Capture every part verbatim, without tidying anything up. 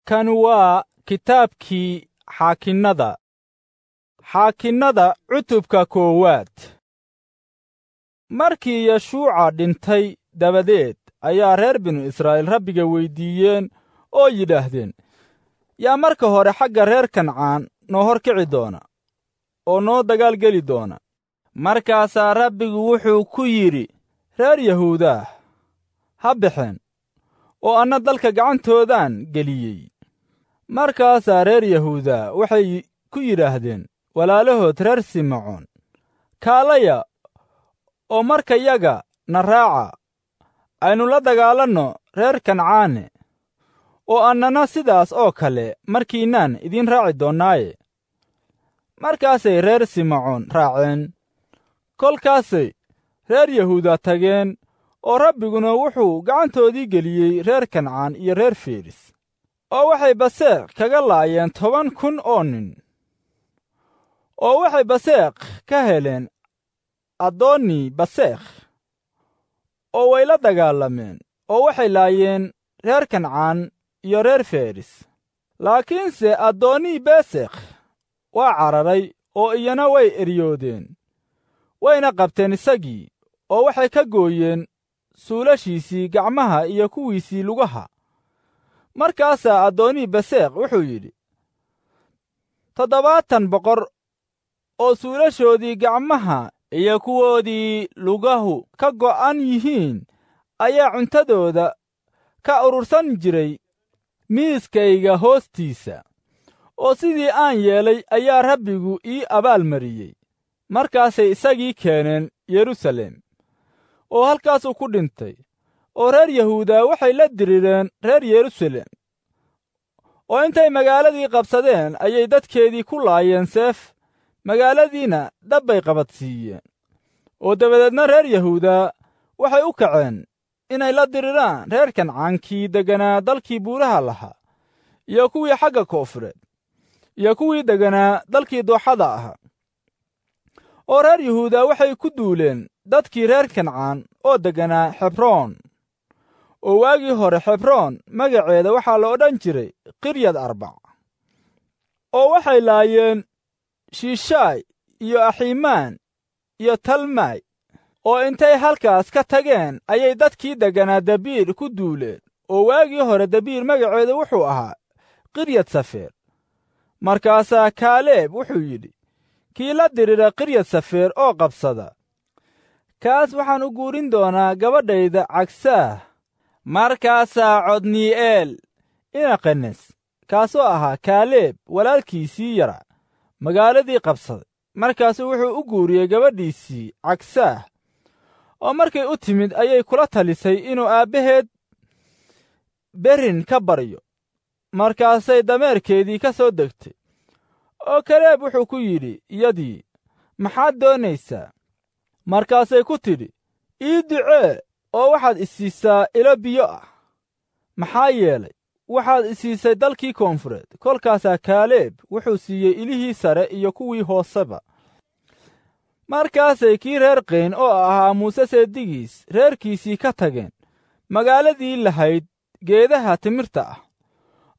Kan waa kitaabkii Xaakinnada. Xaakinnada cutubka koowaad. Markii Yeshuuca dhintay dabadeed ayaa reer binu Israa'iil Rabbiga weyddiiyeen oo yidhaahdeen, yaa marka hore xagga reer Kancaan noo hor kici doona oo noo dagaal geli doona? Markaasaa Rabbigu wuxuu ku yidhi, reer Yahuudaah ha baxeen, oo anna dalka gacantoodaan geliyey. Markaasaa reer Yahuuda waxay ku yidhaahdeen walaalahood reer Simecoon, kaalaya oo markayaga na raaca, aynu la dagaalanno reer Kancaane, oo annana sidaas oo kale markiinaan idiin raaci doonnaaye. Markaasay reer Simecoon raaceen. Kolkaasay reer Yahuuda tageen, oo Rabbiguna wuxuu gacantoodii geliyey reer Kancaan iyo reer Feris, oo waxay Baseeq kaga laayeen toban kun oo nin, oo waxay Baseeq ka heleen Addoonni Baseekh, oo way la dagaalameen, oo waxay laayeen reer Kancaan iyo reer Feris. Laakiinse Addoonni Besekh waa cararay, oo iyana way eryoodeen, wayna qabteen isagii, oo waxay ka gooyeen suulashiisii gacmaha iyo kuwiisii lugaha. Markaasaa Addoonni Besekh wuxuu yidhi, toddobaatan boqor oo suulashoodii gacmaha iyo kuwoodii lugahu ka go'an yihiin ayaa cuntadooda ka urursan jiray miiskayga hoostiisa, oo sidii aan yeelay ayaa Rabbigu ii abaalmariyey. Markaasay isagii keeneen Yeruusaalem, oo halkaasuu ku dhintay. Oo reer Yahuuda waxay la dirireen reer Yeruusaalem, oo intay magaaladii qabsadeen ayay dadkeedii ku laayeen seef, magaaladiina dab bay qabadsiiyeen. Oo dabadeedna reer Yahuuda waxay u kaceen inay la diriraan reer Kancaankii degganaa dalkii buuraha lahaa, iyo kuwii xagga koonfureed, iyo kuwii degganaa dalkii dooxada ahaa. Oo reer Yahuuda waxay ku duuleen dadkii reer Kancaan oo degganaa Xebroon. Oo waagii hore Xebroon magaceeda waxaa la odhan jiray Kiryad Arbac. Oo waxay laayeen Shiishaay iyo Axiimaan iyo Talmay. Oo intay halkaas ka tageen ayay dadkii degganaa Dabiir ku duuleen. Oo waagii hore Dabiir magaceedu wuxuu ahaa Kiryad Safeer. Markaasaa Kaaleeb wuxuu yidhi, kii la dirira Kiryad Safeer oo qabsada, kaas waxaan u guurin doonaa gabadhayda Cagsaah. Markaasaa Codnii'eel ina Qenes, kaasoo ahaa Kaaleeb walaalkiisii yara, magaaladii qabsaday. Markaasuu wuxuu u guuriyey gabadhiisii Cagsaah. Oo markay u timid ayay kula talisay inuu aabbaheed berrin ka baryo. Markaasay dameerkeedii ka soo degtay. Oo Kaleeb wuxuu ku yidhi iyadii, maxaad doonaysaa? Markaasay ku tidhi, ii ducee oo waxaad isiisaa ilo biyo ah, maxaa yeelay waxaad isiisay dalkii koonfureed. Kolkaasaa Kaaleeb wuxuu siiyey ilihii sare iyo kuwii hooseba. Markaasay kii reer Qayn oo ahaa Muuse seedigiis reerkiisii ka tageen magaaladii lahayd geedaha timirta ah,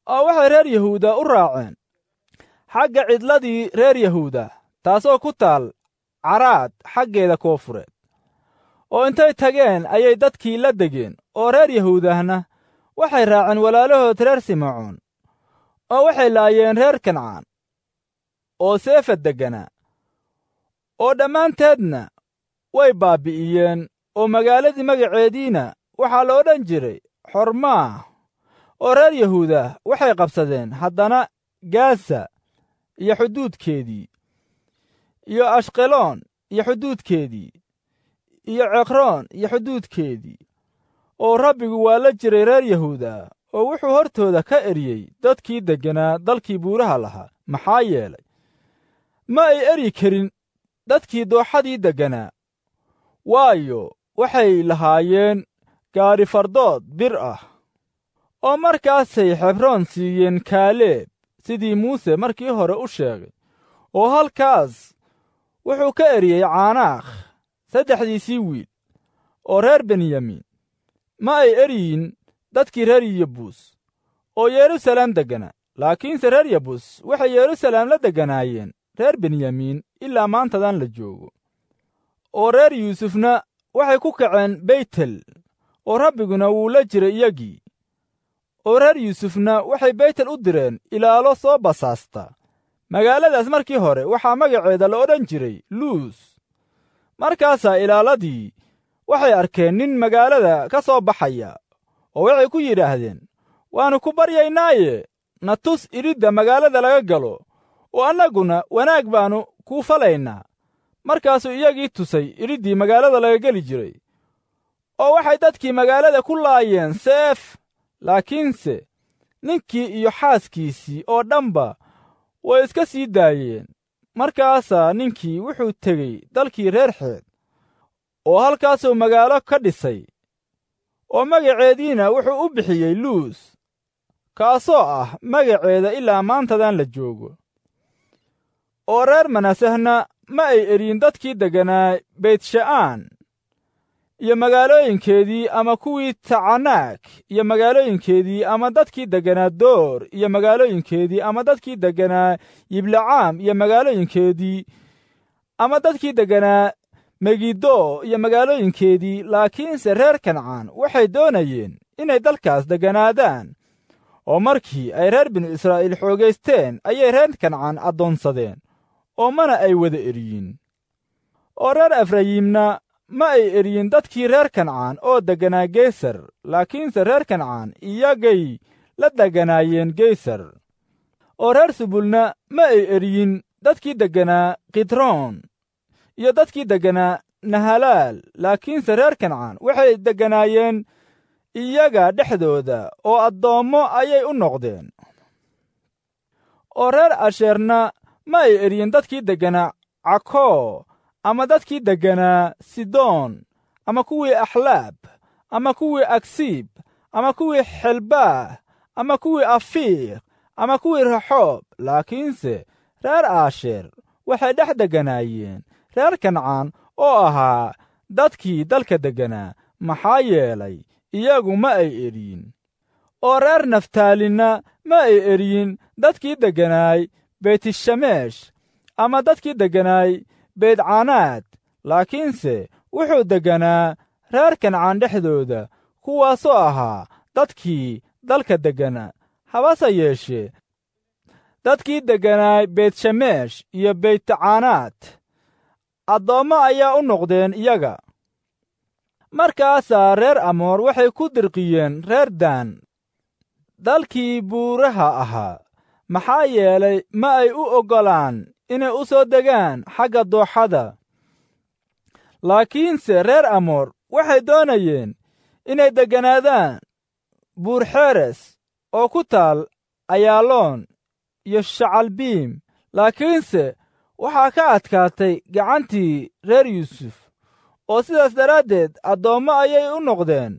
oo waxay reer Yahuuda u raaceen xagga cidladii reer Yahuuda, taasoo ku taal Caraad xaggeeda koonfureed. Oo intay tageen ayay dadkii la degeen, oo reer Yahuudahna waxay raaceen walaalahood reer Simecoon, oo waxay laayeen reer Kancaan oo Seefad degganaa, oo dhammaanteedna way baabbi'iyeen. Oo magaaladii magaceediina waxaa la odhan jiray Xormaah. Oo reer Yahuuda waxay qabsadeen haddana Gaasa iyo xuduudkeedii, iyo Ashqeloon iyo xuduudkeedii, iyo Ceqroon iyo xuduudkeedii. Oo Rabbigu waa la jiray reer Yahuuda, oo wuxuu hortooda ka eryey dadkii degganaa dalkii buuraha lahaa, maxaa yeelay ma ay eryi karin dadkii dooxadii degganaa, waayo waxay lahaayeen gaari fardood bir ah. Oo markaasay Xebroon siiyeen Kaaleeb sidii Muuse markii hore u sheegay. Oo halkaas wuxuu ka eriyey Caanaakh saddexdiisii wiil oo reer Benyamin. Ma ay eryin dadkii reer Yebuus, oo Yeruusaalem degganaa. Laakiinse reer Yebus waxay Yeruusaalem la degganaayeen reer Benyamiin ilaa maantadan la joogo. Oo reer Yuusufna waxay ku kaceen Beytel, oo Rabbiguna wuu la jiray iyagii. Oo reer Yuusufna waxay Beytel u direen ilaalo soo basaasta. Magaaladaas markii hore waxaa magaceeda la odhan jiray Luus. Markaasaa ilaaladii waxay arkeen nin magaalada ka soo baxaya, oo waxay ku yidhaahdeen, waannu ku baryaynaaye, na tus iridda magaalada laga galo, oo annaguna wanaag baannu kuu falaynaa. Markaasuu iyagii tusay iriddii magaalada laga geli jiray, oo waxay dadkii magaalada ku laayeen seef. Laakiinse ninkii iyo xaaskiisii oo dhanba way iska sii daayeen. Markaasaa ninkii wuxuu tegey dalkii reer Xeed, oo halkaasuu magaalo ka dhisay, oo magaceediina wuxuu u bixiyey Luus, kaasoo ah magaceeda ilaa maantadan la joogo. Oo reer Manasehna ma ay eryin dadkii degganaa Beytsha'aan iyo magaalooyinkeedii, ama kuwii Tacanaag iyo magaalooyinkeedii, ama dadkii degganaa Door iyo magaalooyinkeedii, ama dadkii degganaa Yiblacaam iyo magaalooyinkeedii, ama dadkii degganaa Megido iyo magaalooyinkeedii. Laakiinse reer Kancaan waxay doonayeen inay dalkaas degganaadaan, oo markii ay reer binu Israa'iil xoogaysteen ayay reer Kancaan addoonsadeen, oo mana ay wada eryin. Oo reer Efrayiimna ma ay eryin dadkii reer Kancaan oo degganaa Geesar, laakiinse reer Kancaan iyagay la degganaayeen Geesar. Oo reer Subulna ma ay eryin dadkii degganaa Kidroon iyo dadkii degganaa Nahalaal, laakiinse reer Kancaan waxay degganaayeen iyaga dhexdooda, oo addoommo ayay u noqdeen. Oo reer Asheerna ma ay eryin dadkii degganaa Cakoo, ama dadkii degganaa Sidoon, ama kuwii Axlaab, ama kuwii Agsiib, ama kuwii Xelbaah, ama kuwii Afiiq, ama kuwii Raxoob. Laakiinse reer Aasheer waxay dhex degganaayeen reer Kancaan oo ahaa dadkii dalka degganaa, maxaa yeelay iyagu ma ay eryin. Oo reer Naftaalinna ma ay eryin dadkii degganaay Beytshameesh, ama dadkii degganaay Beydcanaad, laakiinse wuxuu degganaa reer Kancaan dhexdooda, kuwaasoo ahaa dadkii dalka degganaa. Habase yeeshee dadkii degganaay Beytshameesh iyo Beytcaanaad addoommo ayaa u noqdeen iyaga. Markaasaa reer Amoor waxay ku dirqiyeen reer Daan dalkii buuraha ahaa, maxaa yeelay ma ay u oggolaan inay u soo degaan xagga dooxada. Laakiinse reer Amoor waxay doonayeen inay degganaadaan Buurxeres oo ku taal Ayaaloon iyo Shacalbiim, laakiinse waxaa ka adkaatay gacantii reer Yuusuf, oo sidaas daraaddeed addoommo ayay u noqdeen.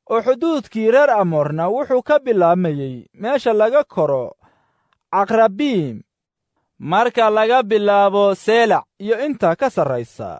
Oo xuduudkii reer Amoorna wuxuu ka bilaabmayey meesha laga koro Caqrabiim, marka laga bilaabo Seelac iyo inta ka sarraysa.